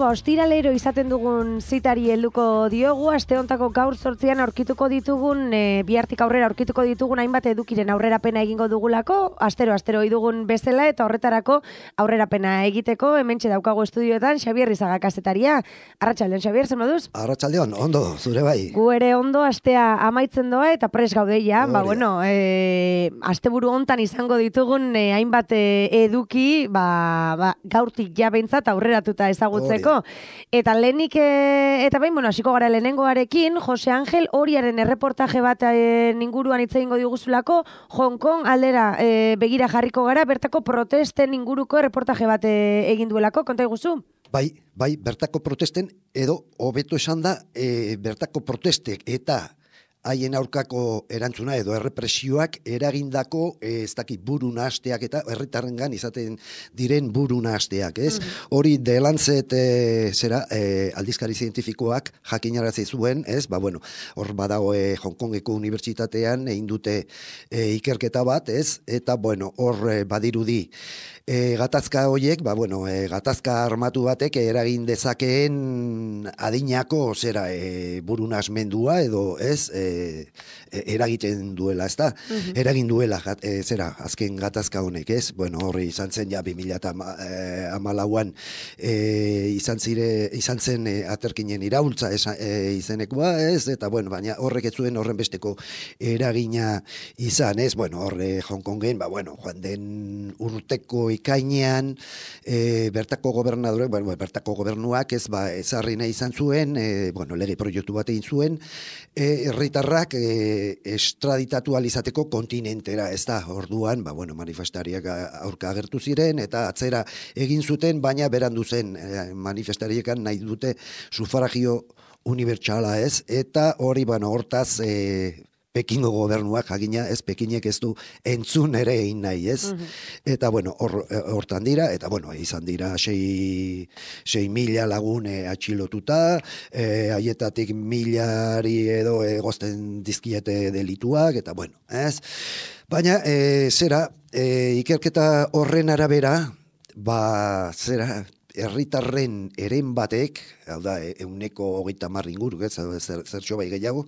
ostiralero izaten dugun zitari helduko diogu, aste hontako gaur 8an aurkituko ditugun, bihartik aurrera aurkituko ditugun hainbat edukiren aurrerapena egingo dugulako, astero dugun bezala, eta horretarako aurrerapena egiteko, hementxe daukago estudioetan, Xabier Rizaga kazetaria. Arratsaldeon, Xabier, zer moduz? Arratsaldeon, ondo, zure bai. Gu ere ondo, astea amaitzen doa, eta pres gaudeia, asteburu hontan izango ditugun hainbat eduki, gaurtik ja behintzat aurreratuta ezagutzeko. Eta lehenik, hasiko gara lehenengoarekin, Jose Angel Oriaren erreportaje bat inguruan hitz egingo diguzulako, Hong Kong aldera begira jarriko gara, bertako protesten inguruko erreportaje bat egin duelako, konta iguzu? Bai, bertako protesten, edo hobeto esan da, bertako protestek eta haien aurkako erantzuna edo errepresioak eragindako ez dakit buru nahasteak eta herritarrengan izaten diren buru nahasteak, ez? Hori The Lancet aldizkari zientifikoak jakinarazi zuen, ez? Hor badago Hong Kongeko unibertsitatean egin dute ikerketa bat, ez? Eta hor badirudi gatazka horiek, gatazka armatu batek eragin dezakeen adinako buru nahasmendua edo, ez? Eragiten duela, ez da? Eragin duela, azken gatazka honek, ez? Horri izan zen ja 2014an izan zen aterkinen iraultza izenekoa, ez? Eta, baina horrek ez zuen horren besteko eragina izan, ez? Horre Hong Kongen, joan den urteko ikainean, bertako gobernadorek, bertako gobernuak ezarri nahi izan zuen, lege proiektu bat egin zuen, herritarrak estraditatu alizateko kontinentera, ez da, orduan, manifestariak aurka agertu ziren, eta atzera egin zuten, baina berandu zen manifestariekan nahi dute sufragio unibertsala, ez, eta hori, hortaz, Pekingo gobernuak jakina, ez, Pekinek ez du entzun ere egin nahi, ez? Eta, hortan dira, eta, izan dira 6.000 lagun atxilotuta, haietatik 1.000 edo egozten dizkiete delituak, eta, ez? Baina, ikerketa horren arabera, herritarren eren batek, hau da, 130 inguru, zertxo bai gehiago,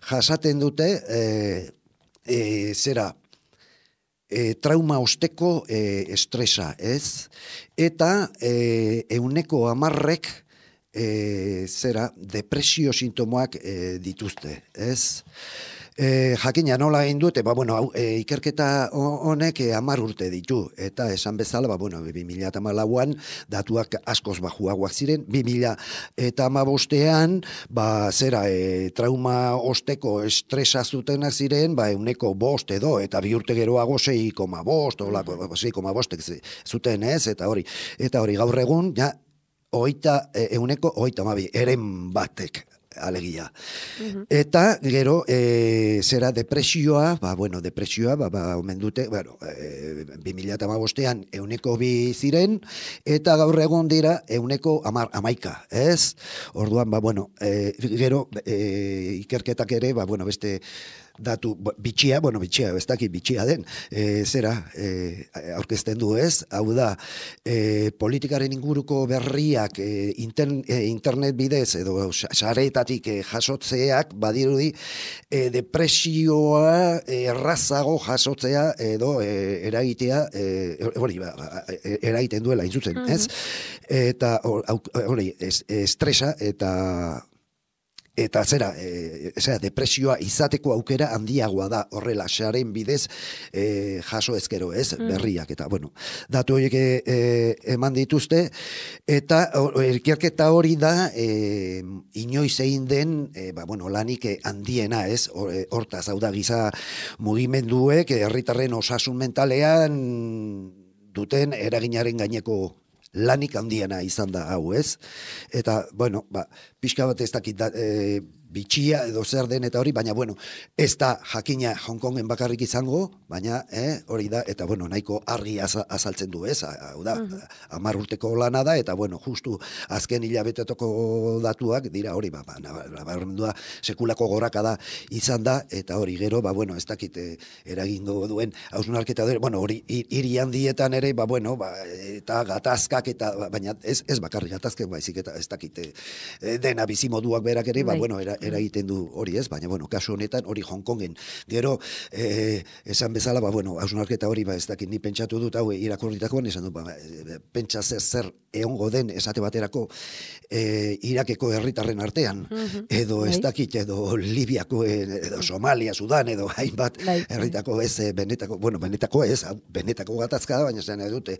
jasaten dute, trauma osteko estresa, ez? Eta 110 depresio sintomoak dituzte, ez? Jakina nola egin dute, ikerketa honek 10 urte ditu, eta esan bezala, 2014an datuak askoz bajuagoak ziren, 2015an, trauma osteko estresa zutenak ziren, 105 edo, eta 2 urte geroago 6,5 zuten, ez, eta hori gaur egun, ja, 132 eren batek, alegia. Eta, gero, depresioa, omen dute, 2015an 102 ziren, eta gaur egun dira 111, ez? Orduan, gero, ikerketak ere, beste datu bitxia, ez dakit bitxia den, aurkezten du, ez? Hau da, politikaren inguruko berriak internet bidez edo sareetatik jasotzeak badirudi depresioa errazago jasotzea edo eragitea eragiten duela inzuzen, ez? Eta hori, estresa eta depresioa izateko aukera handiagoa da horrela saren bidez jaso ezkero, ez, berriak, eta datu horiek eman dituzte, eta ikerketa hori da inoiz egin den lanik handiena, ez, hortaz, hau da giza mugimenduek herritarren osasun mentalean duten eraginaren gaineko lanik handiena izan da hau, ez? Eta, pixka bat ez dakit bitxia edo zer den eta hori, baina bueno, ez da jakina Hong Kongen bakarrik izango, baina hori da, eta bueno, nahiko argi azaltzen du, ez? Hau da, 10 urteko lana da, eta bueno, justu azken hilabetetako datuak dira hori, nabarmendua sekulako gorakada izan da, eta hori gero, bueno, ez dakit eragingo duen hausnarketa dure, bueno, hori hiri handietan ere, bueno, eta gatazkak, eta baina ez bakarrik gatazkak, baizik eta ez dakit dena bizimoduak berak ere, bueno, eragiten du hori ez, baina, bueno, kasu honetan hori Hong Kongen. Gero, esan bezala, bueno, hausnarketa hori, ez dakit, ni pentsatu dut, hau irakurritakoan, esan dut, pentsa zer egongo den esate baterako Irakeko herritarren artean, edo ez dakit, edo Libiako, edo Somalia, Sudan, edo hainbat herritako ez, benetako ez, benetako gatazka da, baina zen dute,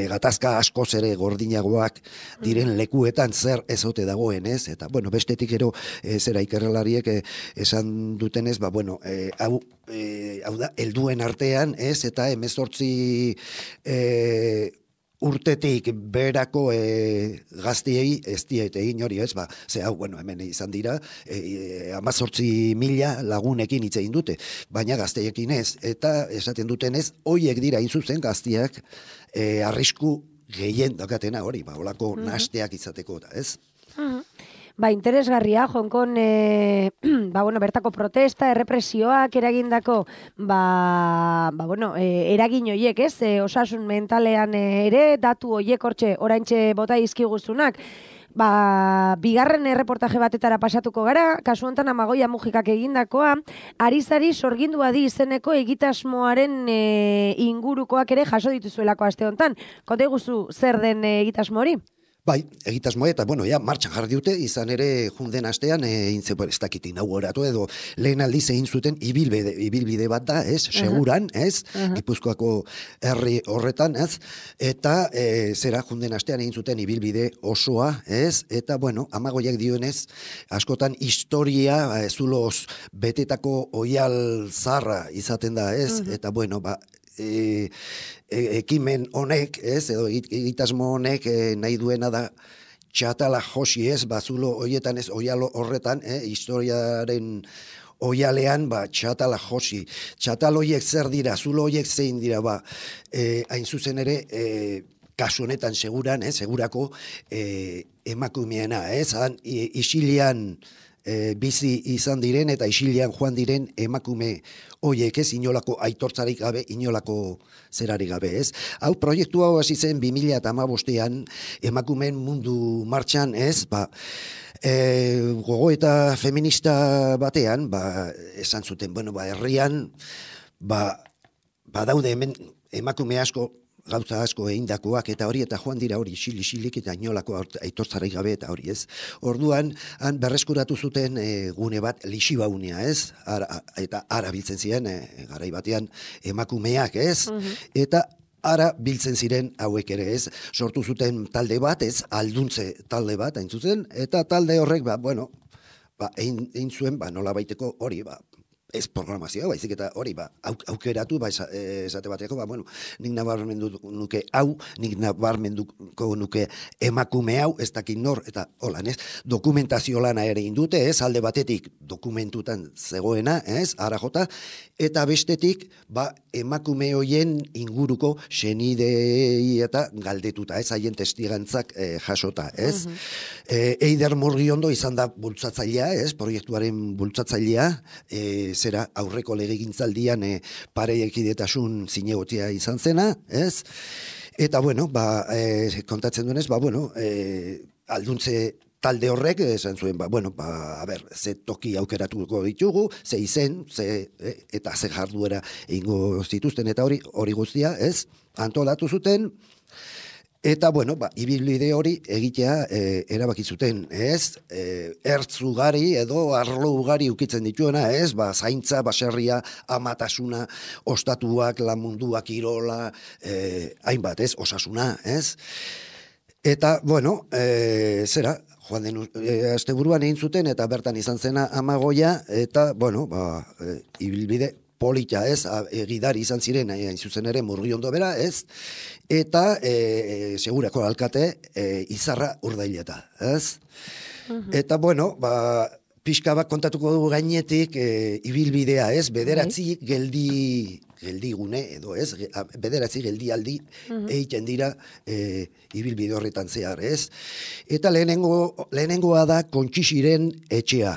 gatazka askoz ere gordinagoak diren lekuetan zer ezote dagoen, ez? Eta, bueno, bestetik ero zera ikerrelariek esan dutenez, bueno, hau da, helduen artean, ez? Eta 18 urtetik berako gaztiei ez diete egin hori, ez? Ze hau, bueno, hemen izan dira, 18.000 lagunekin hitz egin dute, baina gazteekin ez. Eta esaten dutenez, hoiek dira zuzen gaztiak arrisku gehien dakatena hori, holako nasteak izateko, ez? Interesgarria, Hong Kong, bueno, bertako protesta, errepresioak eragindako, bueno, eragin hoiek, ez? Osasun mentalean ere, datu hoiek hortxe, oraintxe bota izkiguzunak, bigarren erreportaje batetara pasatuko gara, kasu honetan Amagoia Mujikak egindakoa, Arizari sorgindua di izeneko egitasmoaren ingurukoak ere jaso dituzuelako aste honetan. Konta iguzu zer den egitasmo hori? Bai, egitasmoa eta, bueno, martxan jarri dute, izan ere junden astean, ez dakit inauguratu edo lehen aldiz egin zuten ibilbide bat da, ez, seguran, ez, Gipuzkoako herri horretan, ez, eta zera junden astean egin zuten ibilbide osoa, ez, eta, bueno, Amagoiak dionez, askotan historia, zuloz betetako oial zarra izaten da, ez, eta, bueno, ekimen honek, ez, edo egitasmo honek nahi duena da txatala josi, ez, zulo hoietan, ez, oialo horretan, historiaren oialean, txatala josi. Txatal hoiek zer dira, zulo hoiek zein dira, hain zuzen ere, kasu honetan seguran, segurako emakumeena, ez, isilian bizi izan diren eta isilian joan diren emakume hoiek, ez, inolako aitortzarik gabe, inolako zerarik gabe, ez. Hau, proiektu hau hasi zen 2015an emakumeen mundu martxan, ez, gogoeta feminista batean, esan zuten, bueno, herrian, daude hemen emakume asko, gauza asko egindakoak eta hori, eta joan dira hori isilik eta inolako aitortzarik gabe eta hori, ez. Orduan, han berreskuratu zuten gune bat Lixibaunea, ez, eta ara biltzen ziren, garai batean emakumeak, ez, eta ara biltzen ziren hauek ere, ez, sortu zuten talde bat, ez, alduntze talde bat, hain zuzen, eta talde horrek, bueno, egin zuen, nola baiteko hori, ez programazioa, baizik eta hori, aukeratu, esate bateko, bueno, nik nabarmenduko nuke hau, nik nabarmenduko nuke emakume hau, ez dakit nor, eta holan, ez, dokumentazio lana ere indute, ez, alde batetik dokumentutan zegoena, ez, ara jota, eta bestetik, emakume hoien inguruko senidei eta galdetuta, ez, haien testigantzak jasota, ez. Eider Murgiondo izan da bultzatzailea, ez, proiektuaren bultzatzailea, zera aurreko legegintzaldian parekidetasun zinegotia izan zena, ez? Eta, bueno, kontatzen duenez, bueno, alduntze talde horrek, esan zuen, ze toki aukeratuko ditugu, ze izen, eta ze jarduera egingo zituzten, eta hori guztia, ez? Antolatu zuten, eta, bueno, ibilbide hori egitea erabaki zuten, ez? Ertz ugari edo arlo ugari ukitzen dituena, ez? Zaintza, baserria, amatasuna, ostatuak, lanmundua, kirola, hainbat, ez? Osasuna, ez? Eta, bueno, zera, joan den asteburuan egin zuten, eta bertan izan zena Amagoia, eta, bueno, ibilbide polita, ez, egidari izan ziren, hain zuzen ere Murgiondo bera, ez, eta segurako alkate Izarra Urdaileta, ez? Eta, bueno, pixka bat kontatuko dugu gainetik ibilbidea, ez? Bederatzi geldigune edo, ez? Bederatzi geldialdi egiten dira ibilbide horretan zehar, ez? Eta lehenengoa da Kontxixiren etxea.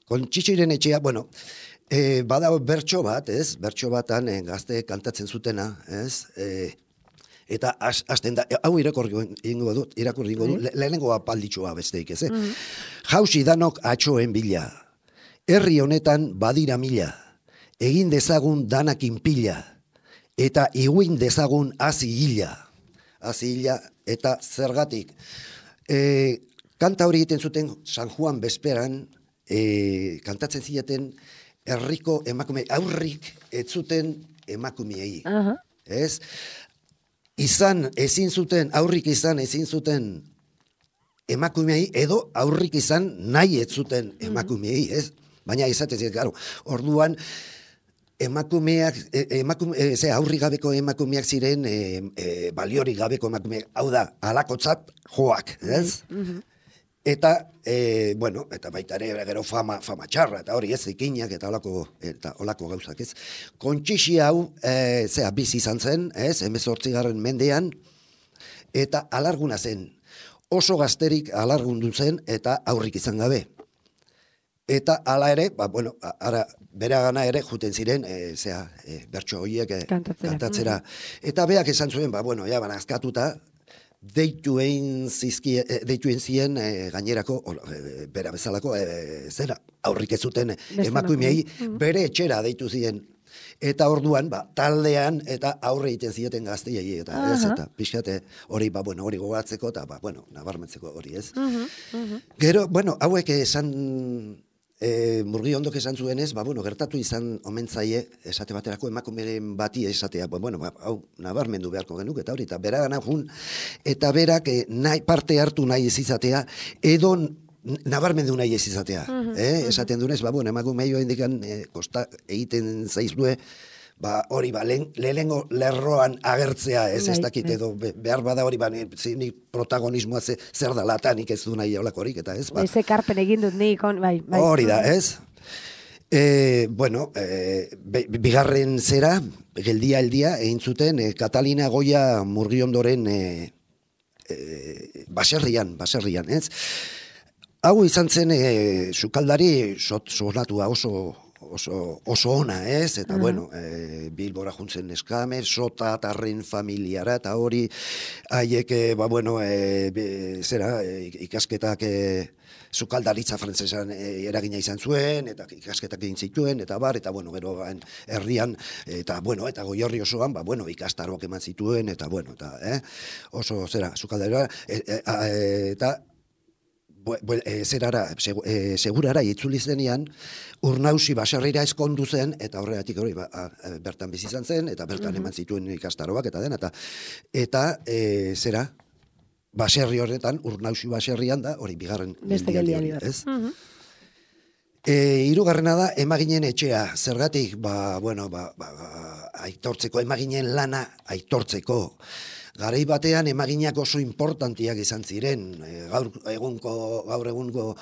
Kontxixiren etxea, bueno, bada bertso bat, ez? Bertso batan gazte kantatzen zutena, ez? Eta hasten da, hau irakurri ingo dut, lehenengoa palditxoa besteik, ez? Jausi danok atxoen bila, herri honetan badira mila, egin dezagun danakin pila, eta iguin dezagun hazi hila eta zergatik. Kanta hori egiten zuten San Juan bezperan, kantatzen zieten herriko emakume, aurrik ez zuten emakumeei, ez? Aurrik izan ezin zuten emakumeei, edo aurrik izan nahi ez zuten emakumeei, ez? Baina izatez, gero, orduan emakumeak, aurrik gabeko emakumeak ziren baliorik gabeko emakumeak, hau da, alakotzat joak, ez? Eta, bueno, eta baita ere gero fama txarra, eta hori ez, ikinak eta olako gauzak, ez. Kontxixi hau, bizi izan zen, ez, 18. mendean, eta alarguna zen. Oso gazterik alargundu zen, eta aurrik izan gabe. Eta hala ere, bueno, bera gana ere juten ziren, bertso horiek kantatzera. Eta beak esan zuen, bueno, ja, banazkatuta, deituen zien gainerako, bera bezalako, zera, aurrik ez zuten emakumeei, bere etxera deitu ziren. Eta orduan, taldean, eta aurre egiten zieten gazteiei, eta ez, eta pixkate hori, hori gogatzeko, eta, nabarmentzeko hori, ez. Gero, hauek esan, Murgiondok esan zuenez, gertatu izan omentzaie, esate baterako emakumeren bati esatea, hau nabarmendu beharko genuk, eta hori, eta bera gana jun, eta berak parte hartu nahi ez izatea, edo nabarmendu nahi ez izatea. Esaten dunez, emakumei hori indikan, kosta egiten zaizue, hori, lehenengo lerroan agertzea, ez dakit, edo behar bada hori, nik protagonismoa zer da latanik ez du nahi olakorik, eta ez, Eze karpen egin dut nik, bai. Hori da, ez? Bueno, bigarren zera, geldia egin zuten, Katalina Goia Murgiondoren baserrian, ez? Hau izan zen, sukaldari sonatua oso ona, ez? Eta, bueno, Bilbora juntzen eskame, sota tarren familiara, eta hori, haiek, ikasketak sukaldaritza frantzesan eragina izan zuen, eta ikasketak egin zituen, eta bueno, gero herrian, eta Goierri osoan, ikastaroak eman zituen, eta oso, sukaldarira, eta segurara itzuli zenean, Urnausi baserrira eskondu zen, eta horregatik hori bertan bizi izan zen, eta bertan eman zituen ikastaroak, eta dena, eta baserri horretan, Urnausi baserrian da, hori bigarren geldialdi hori, ez? Hirugarrena da, emaginen etxea, zergatik, aitortzeko, emaginen lana aitortzeko. Garai batean emaginak oso importantiak izan ziren, gaur egungo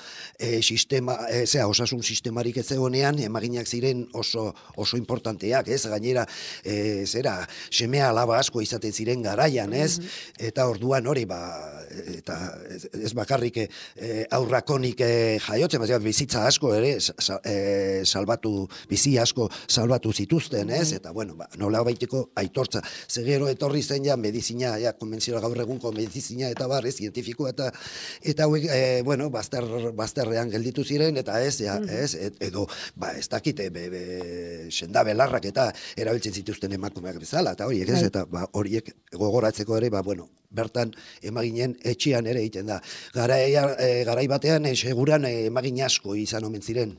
sistema, osasun sistemarik ez egonean, emaginak ziren oso importanteak, ez? Gainera, semea alaba asko izaten ziren garaian, ez? Eta orduan hori, eta ez bakarrik aurrakonik jaiotzen, bizitza asko ere, bizi asko salbatu zituzten, ez? Eta, nola baiteko aitortza. Zegero etorri zen ja medizina, konbentzioa gaur egunko medizina eta zientifikoa eta hauek, bazterrean gelditu ziren, eta edo, ez dakit, senda belarrak eta erabiltzen zituzten emakumeak bezala, eta horiek ez, eta horiek gogoratzeko ere, bertan emaginen etxean ere egiten da. Garai batean, seguran emagin asko izan omen ziren.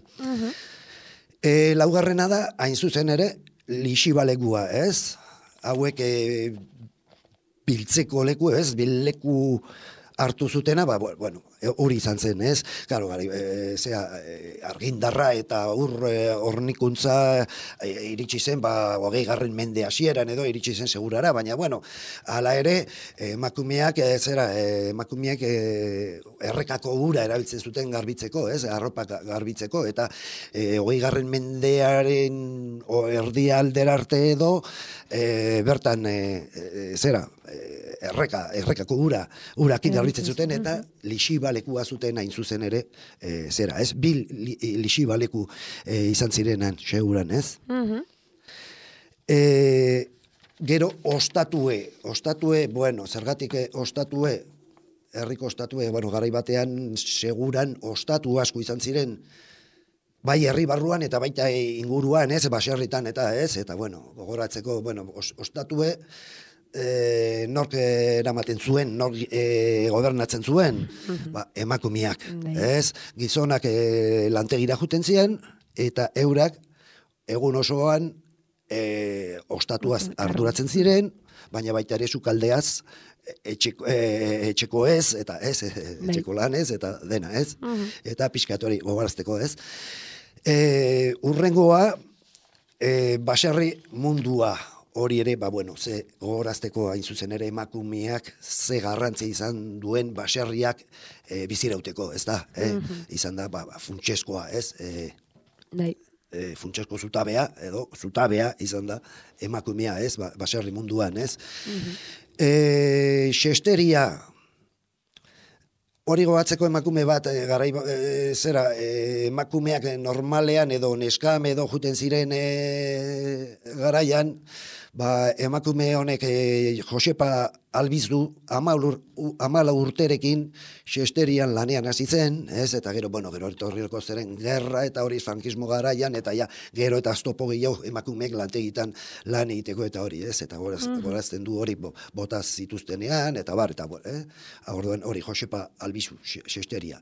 Laugarrena da, hain zuzen ere, lixibalegua, ez? Hauek biltzeko leku, ez? Bileku hartu zutena, hori izan zen, ez? Claro, argindarra eta hornikuntza iritsi zen, 20. Mende hasieran edo iritsi zen segurara, baina bueno, hala ere, emakumeak errekako ura erabiltzen zuten garbitzeko, ez? Arropa garbitzeko, eta 20. Mendearen erdialdera arte edo bertan errekako urakin garbitzen zuten, eta lixibalekua zuten hain zuzen ere, bil lixibaleku izan zirenan, seguran, ez? Gero, ostatue, bueno, zergatik ostatue, herriko ostatue, bueno, garai batean seguran ostatu asko izan ziren, bai herri barruan eta baita inguruan, ez, baserritan eta ez, eta bueno, gogoratzeko, bueno, ostatue, nork eramaten zuen, nork gobernatzen zuen, emakumeak, ez, gizonak lantegira juten ziren, eta eurak egun osoan ostatuaz arduratzen ziren, baina baita ere sukaldeaz etxeko ez, eta ez, etxeko lan ez, eta dena ez, eta pixkatori gogorazteko ez. Urrengoa, baserri mundua, hori ere, ze gogorazteko hain zuzen ere emakumeak ze garrantzia izan duen baserriak bizirauteko, ez da? Izan da, funtseskoa, ez? Funtsesko zutabea, edo zutabea izan da emakumea, ez? Baserri munduan, ez? Xesteria, hori gogatzeko emakume bat, emakumeak normalean edo neskam edo juten ziren garaian, emakume honek Josepa Albizu 14 urterekin xesterian lanean hasi zen, ez? Eta gero etorriko zeren gerra eta hori frankismo garaian, eta gero eta aztopo gehiago emakumeek lantegitan lan egiteko eta hori, ez? Eta gorazten du hori botaz zituztenean, eta orduan hori Josepa Albizu xesteria.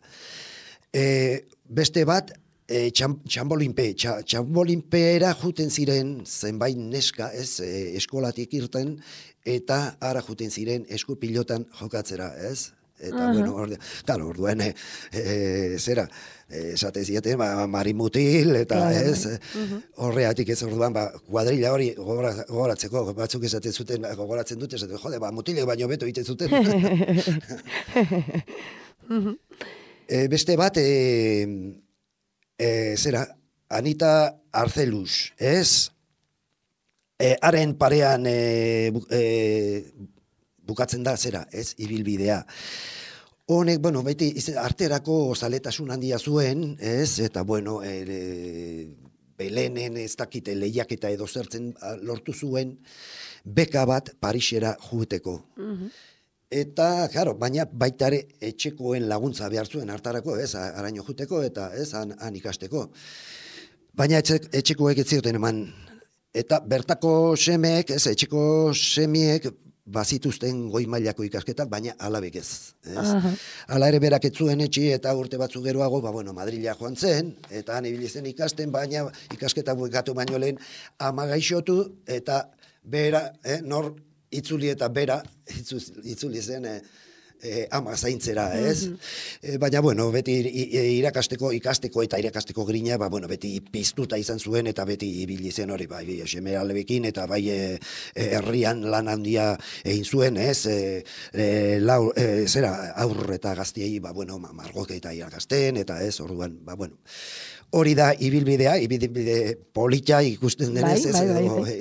Beste bat, txambolinpeera juten ziren zenbait neska, ez, eskolatik irten, eta ara juten ziren eskupilotan jokatzera, ez? Eta, orduan, esate zieten, marimutil, eta ez, horreatik ez orduan, kuadrilla hori gogoratzeko, batzuk esaten zuten, gogoratzen dute, esaten, jode, mutilek baino beto egiten zuten. Beste bat, Anita Arcelus, ez? Haren parean bukatzen da, ez? Ibilbidea. Honek, beti arterako zaletasun handia zuen, ez? Eta, Belenen ez dakite lehiaketa edo zertzen lortu zuen, beka bat Parisera jueteko. Eta, baina baita ere etxekoen laguntza behar zuen hartarako, ez, araño juteko, eta ez, han ikasteko. Baina etxekoek ez zioten eman. Eta bertako semeek, ez, etxeko semiek bazituzten goi mailako ikasketak, baina alabek ez. Hala ere berak ez zuen etxi, eta urte batzu geroago, Madrila joan zen, eta han ibili zen ikasten, baina ikasketa bukatu baino lehen ama gaixotu, eta bera, nor itzuli eta bera, itzuli zen ama zaintzera, ez? Baina, beti ikasteko eta irakasteko grina, beti piztuta izan zuen, eta beti ibili zen hori, seme alebekin, eta herrian lan handia egin zuen, ez? Aurre eta gaztiei, margoke eta irakasten, eta ez, orduan, hori da ibilbidea polita ikusten denez,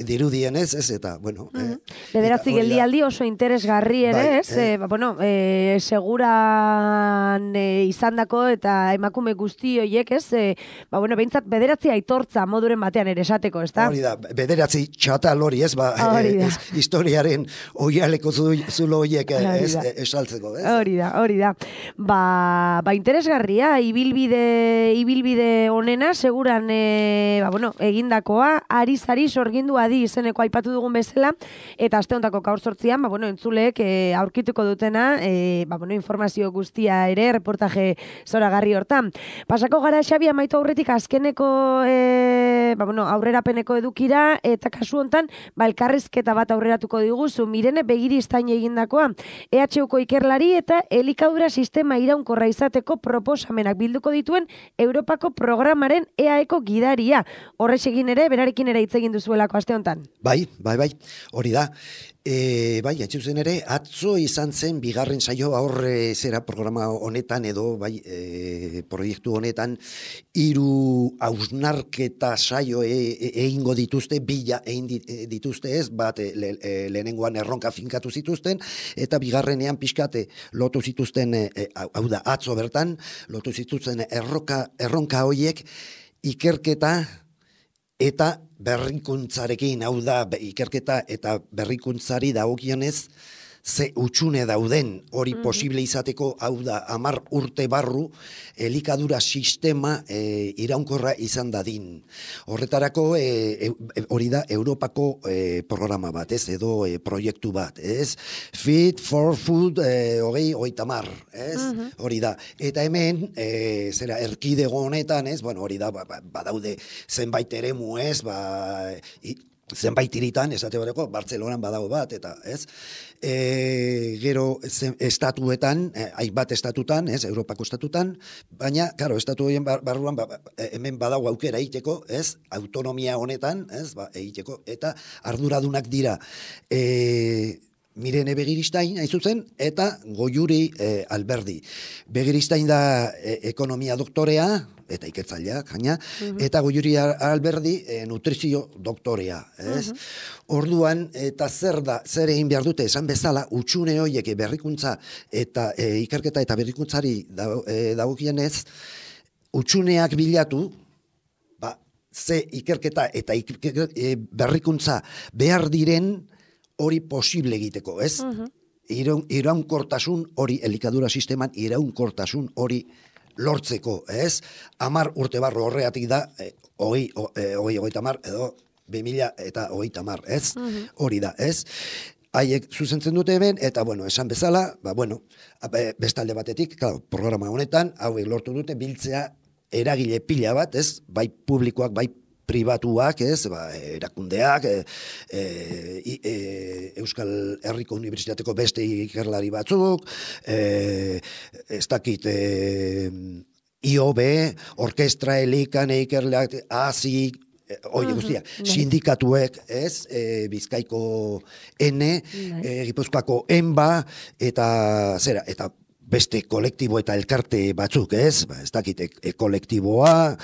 dirudien ez, eta, Bederatzi geldialdi oso interesgarri ere, ez? Seguran izandako eta emakume guzti horiek, ez? Behintzat bederatzi aitortza moduren batean ere esateko, ez da? Hori da, bederatzi txatal hori, ez? Historiaren oialeko zulo horiek esaltzeko, ez? Hori da. Interesgarria, ibilbide honena, seguran egindakoa, ari sorgindu adi izeneko aipatu dugun bezala, eta aste hontako gaur 8an, entzuleek aurkituko dutena informazio guztia ere, reportaje zoragarri hortan. Pasako gara, Xabi, amaitu aurretik azkeneko aurrerapeneko edukira, eta kasu hontan, elkarrizketa bat aurreratuko diguzu, Mirene Begiristain egindakoa, EHUko ikerlari eta elikadura sistema iraunkorra izateko proposamenak bilduko dituen Europako programaren EAEko gidaria. Horrex egin ere, berarekin ere hitz egin duzuelako aste hontan. Bai, hori da. Bai, atxuzen ere, atzo izan zen bigarren saio aurre zera programa honetan edo, proiektu honetan, 3 hausnarketa saio egingo dituzte, bila egin dituzte ez, bat lehenengoan erronka finkatu zituzten, eta bigarrenean pixkate lotu zituzten, hau da, atzo bertan, lotu zituzten erronka hoiek ikerketa eta berrikuntzarekin, hau da, ikerketa eta berrikuntzari dagokionez, ze utxune dauden hori posible izateko, hau da, 10 urte barru, elikadura sistema iraunkorra izan dadin. Horretarako, hori da, Europako programa bat, ez, edo proiektu bat, ez, Fit for Food, 30, ez, hori da. Eta hemen, erkidego honetan, ez, hori da, badaude zenbait eremu, ez, zenbait hiritan, esate horreko, Bartzelonan badago bat, eta ez, gero estatuetan, hainbat estatutan, ez, Europako estatutan, baina, karo, estatu horien barruan, hemen badago aukera egiteko, ez, autonomia honetan, ez, egiteko, eta arduradunak dira, Mirene Begiristain, hain zuzen, eta Goiuri Alberdi. Begiristain da ekonomia doktorea, eta ikertzaileak, gaina, eta Goiuri Alberdi nutrizio doktorea. Orduan, eta zer egin behar dute, esan bezala, utxune horiek berrikuntza eta ikerketa eta berrikuntzari dagokienez, utxuneak bilatu, ze ikerketa eta berrikuntza behar diren, hori posible egiteko, ez? Iraunkortasun hori, elikadura sisteman iraunkortasun hori lortzeko, ez? 10 urte barru horreatik da, 30, edo 2030, ez? Hori da, ez? Haiek zuzentzen dute hemen, eta, esan bezala, bestalde batetik, programa honetan, hauek lortu dute, biltzea eragile pila bat, ez? Bai publikoak, bai pribatuak, ez, erakundeak, Euskal Herriko Unibertsitateko beste ikerlari batzuk, ez dakit, IOB, orkestra elikan ikerleak, ASI, guztia, sindikatuek, ez, Bizkaiko N, Gipuzkoako ENBA, eta beste kolektibo eta elkarte batzuk, ez? Ez dakit, kolektiboa,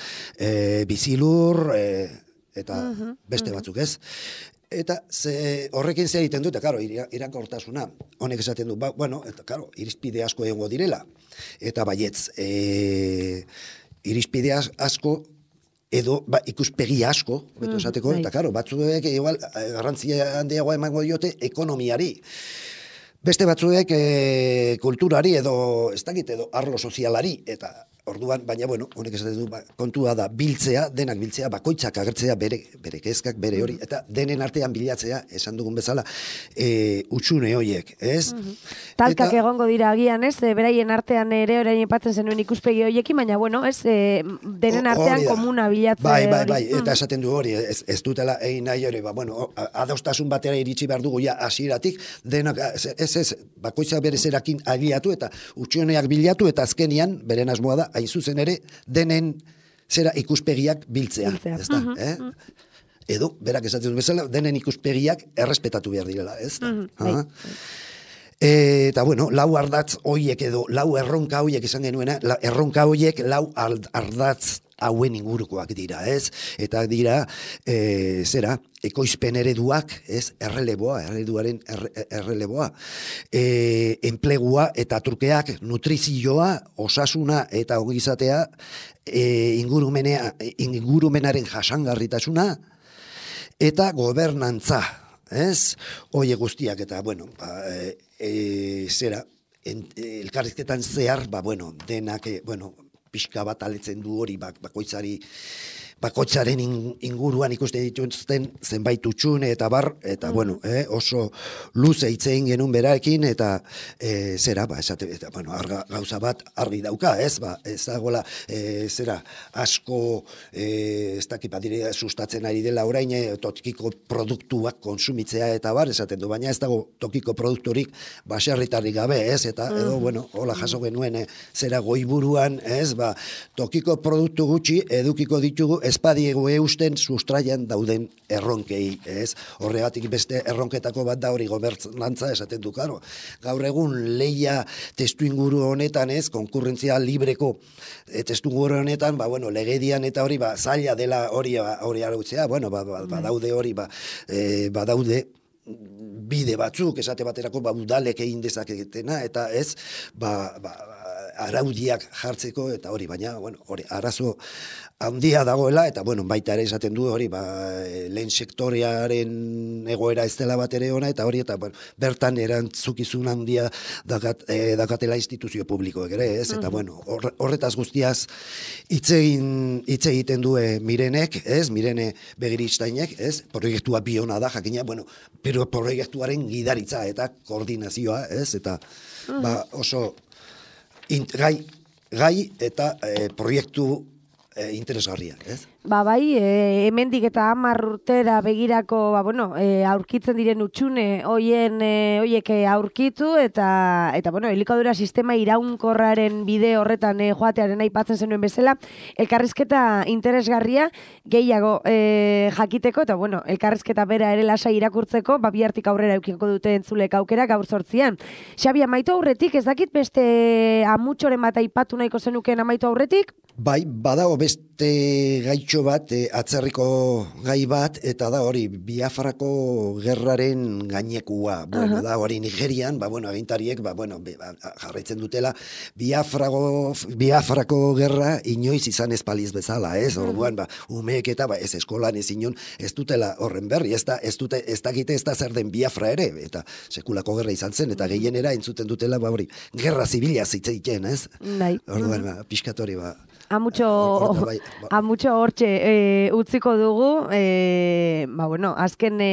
bizilur, eta beste batzuk, ez? Eta horrekin zer egiten dute, karo, iraunkortasuna, honek esaten du, eta karo, irizpide asko egongo direla, eta baietz, irizpide asko, edo ikuspegi asko, beto esateko, eta karo, batzuek, igual, garrantzia handiagoa emango diote ekonomiari. Beste batzuek kulturari edo, ez dakit, edo arlo sozialari, eta orduan, baina, honek esaten du, kontua da biltzea, denak biltzea, bakoitzak agertzea bere kezkak, bere hori, eta denen artean bilatzea, esan dugun bezala, utxune horiek, ez? Talkak egongo dira agian, ez? Beraien artean ere orain aipatzen zenuen ikuspegi horiekin, baina, ez? Denen artean komuna bilatze hori. Bai, eta esaten du hori, ez dutela egin nahi hori, adostasun batera iritsi behar dugu ja hasieratik, denak, ez, bakoitzak bere zerakin agiatu, eta utxuneak bilatu, eta azkenian, beren asmoa da, hain zuzen ere, denen zera ikuspegiak biltzea. Ez da, edo, berak esatzen du bezala, denen ikuspegiak errespetatu behar direla, ez da. Eta, lau ardatz hoiek edo, lau erronka hoiek izan genuena, erronka hoiek lau ardatz hauen ingurukoak dira, ez? Eta dira, ekoizpen ereduak, ez? Ereduaren erreleboa. Enplegua eta trukeak, nutrizioa, osasuna eta ongizatea, ingurumenaren jasangarritasuna, eta gobernantza, ez? Oie guztiak, eta, elkarrizketan zehar, denak, pixka bat aletzen du hori bakoitzari bakoitzaren inguruan ikuste dituzten zenbait utxune eta bar, eta bueno, oso luze hitz egin genuen berarekin, eta zera, esate, eta, bueno, gauza bat argi dauka, ez dagoela, zera, asko, ez dakit badire sustatzen ari dela orain, tokiko produktuak konsumitzea eta bar, esaten du, baina ez dago tokiko produkturik baserritarrik gabe, ez, eta edo, bueno, hola jaso genuen, zera goiburuan, ez, tokiko produktu gutxi edukiko ditugu espadiego eusten sustraian dauden erronkei, ez? Horregatik beste erronketako bat da hori gobernantza esaten du, karo. Gaur egun leia testuinguru honetan, ez, konkurrentzia libreko testuinguru honetan, bueno, legedian eta hori, zaila dela hori arautzea, bueno, badaude hori, badaude bide batzuk, esate baterako, udalek egin dezaketena, eta ez, araudiak jartzeko, eta hori, baina, bueno, hori, arazo handia dagoela, eta, bueno, baita ere esaten du, hori, lehen sektorearen egoera ez dela bat ere ona, eta hori, eta, bueno, bertan erantzukizun handia dakatela instituzio publikoek ere, ez, eta, bueno, horretaz guztiaz hitz egiten du Mirenek, ez, Mirene Begiristainek, ez, proiektua biona da, jakina, bueno, pero proiektuaren gidaritza eta koordinazioa, ez, eta, oso gai eta proiektu interesgarria, ez? Bai, hemendik eta 10 urtera begirako, aurkitzen diren utxune hoiek aurkitu eta bueno, elikadura sistema iraunkorraren bide horretan joatearen aipatzen zenuen bezala, elkarrizketa interesgarria gehiago jakiteko, eta bueno, elkarrizketa bera ere lasai irakurtzeko, bihartik aurrera eukiko dute entzulek aukera gaur 8an. Xabi, amaitu aurretik, ez dakit beste amutxoren bat aipatu nahiko zenuken amaitu aurretik? Bai, badago beste gaitxo bat, atzerriko gai bat, eta da hori Biafrako gerraren gainekua. Bueno, da hori Nigerian, agintariek, jarraitzen dutela, Biafrako gerra inoiz izan ez paliz bezala, ez? Orduan, umeek eta ez eskolan ez inon, ez dutela horren berri, ez dakite ez da zer den Biafra ere, eta sekulako gerra izan zen, eta gehienera entzuten dutela, hori, gerra zibila zitzeiten, ez? Orduan, pixkatori, Amutxo hortxe utziko dugu, azken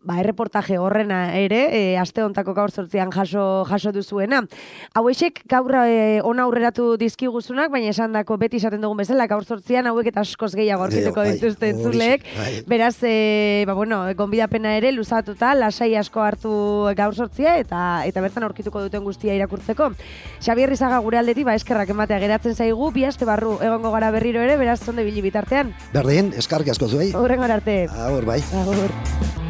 erreportaje horrena ere, aste hontako gaur 8an jaso duzuena. Hauexek gaur ona aurreratu dizkiguzunak, baina esandako beti esaten dugun bezala, gaur 8an hauek eta askoz gehiago aurkituko dituzte entzuleek. Beraz, gonbidapena ere luzatuta, lasai asko hartu gaur 8a eta bertan aurkituko duten guztia irakurtzeko. Xabier Rizaga gure aldetik, eskerrak ematea geratzen zaigu, 2 aste barru egongo gara berriro ere, beraz zonde bili bitartean. Berdin, eskarrik asko zuei. Hurrengora arte. Agur, bai. Agur.